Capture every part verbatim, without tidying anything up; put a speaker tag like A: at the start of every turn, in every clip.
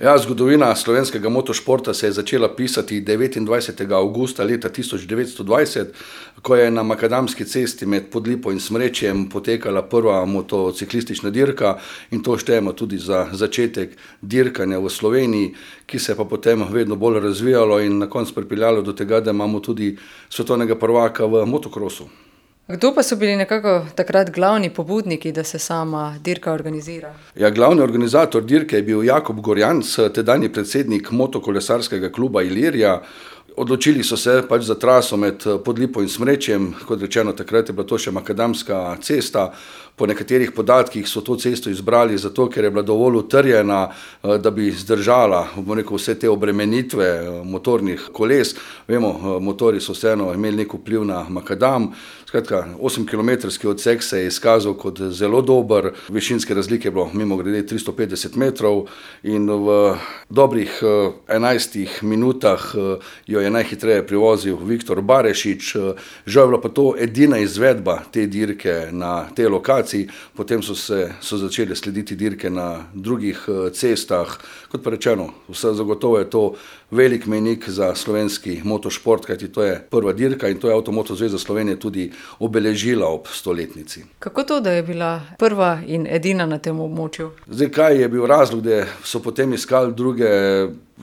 A: Ja, zgodovina slovenskega motošporta se je začela pisati devetindvajsetega avgusta leta tisoč devetsto dvajset, ko je na makadamski cesti med Podlipo in Smrečjem potekala prva motociklistična dirka, in to štejemo tudi za začetek dirkanja v Sloveniji, ki se je pa potem vedno bolj razvijalo in na koncu pripeljalo do tega, da imamo tudi svetovnega prvaka v motokrosu.
B: Kdo pa so bili nekako takrat glavni pobudniki, da se sama dirka organizira?
A: Ja, glavni organizator dirke je bil Jakob Gorjanc, tedanji predsednik motokolesarskega kluba Ilirija. Odločili so se pač za traso med Podlipo in Smrečjem, kot rečeno, takrat je bila to še makadamska cesta. Po nekaterih podatkih so to cesto izbrali zato, ker je bila dovolj utrjena, da bi zdržala, bom rekel, vse te obremenitve motornih koles. Vemo, motorji so vseeno imeli nek vpliv na makadam. Skratka, osemkilometrski odsek se je izkazal kot zelo dober, višinske razlike je bilo mimogrede tristo petdeset metrov in v dobrih enajstih minutah jo je najhitreje privozil Viktor Barešič. Žal je bila pa to edina izvedba te dirke na tej lokaciji, potem so se so začele slediti dirke na drugih cestah. Kot pa rečeno, vse zagotovo je to velik mejnik za slovenski motošport, kajti to je prva dirka in to je Avtomoto zveza Slovenije tudi obeležila ob stoletnici.
B: Kako to, da je bila prva in edina na tem območju?
A: Zdaj, kaj je bil razlog, da so potem iskali druge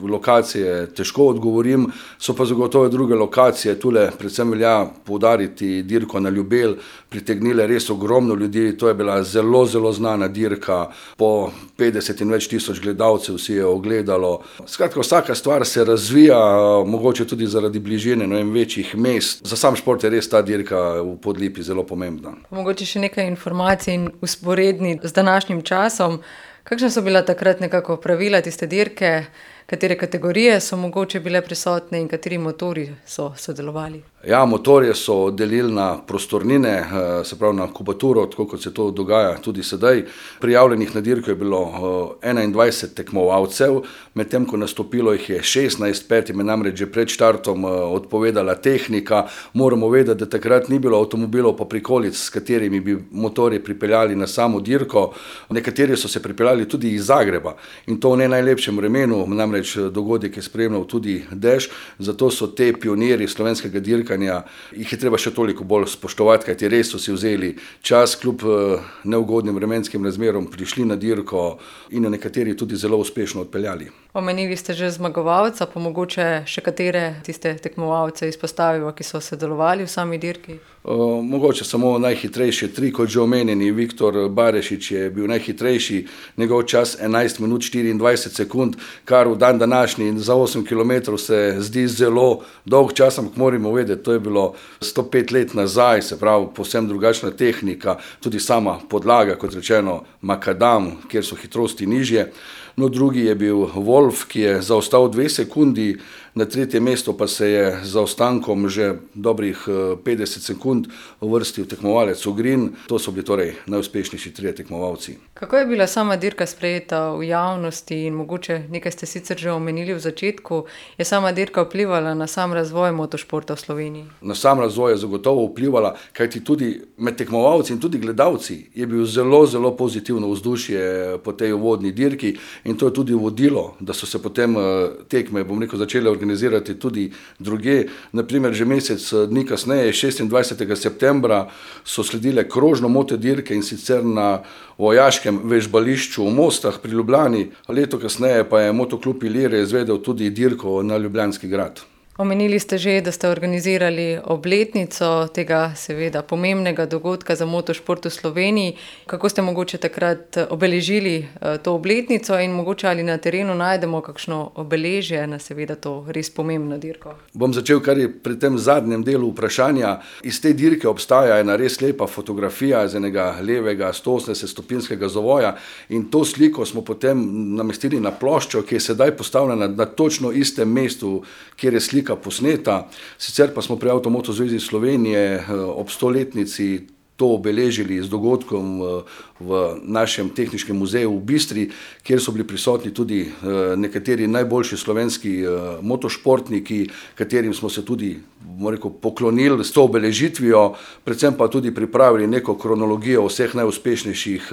A: lokacije, težko odgovorim, so pa zagotovo druge lokacije. Tule predvsem velja poudariti dirko na Ljubelj, pritegnile res ogromno ljudi, to je bila zelo, zelo znana dirka, po petdeset in več tisoč gledalcev si je ogledalo. Skratka, vsaka stvar se razvija, mogoče tudi zaradi bližine, ne vem, večjih mest. Za sam šport je res ta dirka v Podlipi zelo pomembna.
B: Mogoče še nekaj informacij in usporedni z današnjim časom. Kakšna so bila takrat nekako pravila tiste dirke? Katere kategorije so mogoče bile prisotne in kateri motorji so sodelovali?
A: Ja, motorje so delili na prostornine, se pravi na kubaturo, tako kot se to dogaja tudi sedaj. Prijavljenih na dirko je bilo enaindvajset tekmovalcev, medtem ko nastopilo jih je šestnajst, petim je namreč že pred štartom odpovedala tehnika. Moramo vedeti, da takrat ni bilo avtomobilov pa prikolic, s katerimi bi motorje pripeljali na samo dirko. Nekateri so se pripeljali tudi iz Zagreba in to v ne najlepšem vremenu, namreč dogodek je spremljal tudi dež, zato so te pionirji slovenskega dirkanja, jih je treba še toliko bolj spoštovati, kajti res so si vzeli čas, kljub neugodnim vremenskim razmerom prišli na dirko in jo nekateri tudi zelo uspešno odpeljali.
B: Omenili ste že zmagovalca, pa mogoče še katere tiste tekmovalce izpostaviva, ki so sodelovali v sami dirki?
A: Uh, mogoče samo najhitrejši tri, kot že omenjeni, Viktor Barešič je bil najhitrejši, njegov čas enajst minut štiriindvajset sekund, kar v dan današnji za osem kilometrov se zdi zelo dolg čas, ampak moramo vedeti, to je bilo sto pet let nazaj, se pravi povsem drugačna tehnika, tudi sama podlaga, kot rečeno makadam, kjer so hitrosti nižje. No, drugi je bil Wolf, ki je zaostal dve sekundi, na tretje mesto pa se je z zaostankom že dobrih petdeset sekund uvrstil tekmovalec Ogrin. To so bili torej najuspešnejši trije tekmovalci.
B: Kako je bila sama dirka sprejeta v javnosti in mogoče nekaj ste sicer že omenili v začetku, je sama dirka vplivala na sam razvoj motošporta v Sloveniji?
A: Na sam razvoj je zagotovo vplivala, kajti tudi med tekmovalci in tudi gledalci je bil zelo, zelo pozitivno vzdušje po tej uvodni dirki in to je tudi vodilo, da so se potem tekme, bom rekel, začele organizirati tudi druge. Naprimer, že mesec dni kasneje, šestindvajsetega septembra, so sledile krožno motodirke in sicer na vojaškem vežbališču v Mostah pri Ljubljani. Leto kasneje pa je Motoklub Ilirija izvedel tudi dirko na Ljubljanski grad.
B: Omenili ste že, da ste organizirali obletnico tega seveda pomembnega dogodka za motošport v Sloveniji. Kako ste mogoče takrat obeležili to obletnico in mogoče ali na terenu najdemo kakšno obeležje na seveda to res pomembno dirko?
A: Bom začel kar je pri tem zadnjem delu vprašanja. Iz te dirke obstaja ena res lepa fotografija z enega levega sto osemdeset stopinjskega zavoja in to sliko smo potem namestili na ploščo, ki je sedaj postavljena na točno istem mestu, kjer je slika posneta. Sicer pa smo pri Avtomoto zvezi Slovenije ob stoletnici to obeležili z dogodkom v našem tehničnem muzeju v Bistri, kjer so bili prisotni tudi nekateri najboljši slovenski motošportniki, katerim smo se tudi, bomo rekel, poklonili s to obeležitvijo, predvsem pa tudi pripravili neko kronologijo vseh najuspešnejših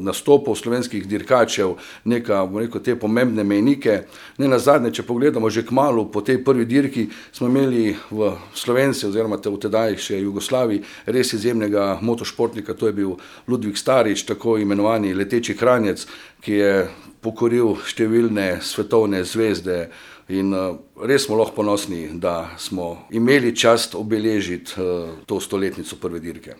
A: nastopov slovenskih dirkačev, neka, bomo rekel, te pomembne mejnike. Ne nazadnje, če pogledamo že kmalu po tej prvi dirki, smo imeli v Slovenci oziroma v tedaj še Jugoslaviji res izjemnega motošportnika, to je bil Ludvik Starič, tako imenovani leteči kranjec, ki je pokoril številne svetovne zvezde in res smo lahko ponosni, da smo imeli čast obeležiti to stoletnico prve dirke.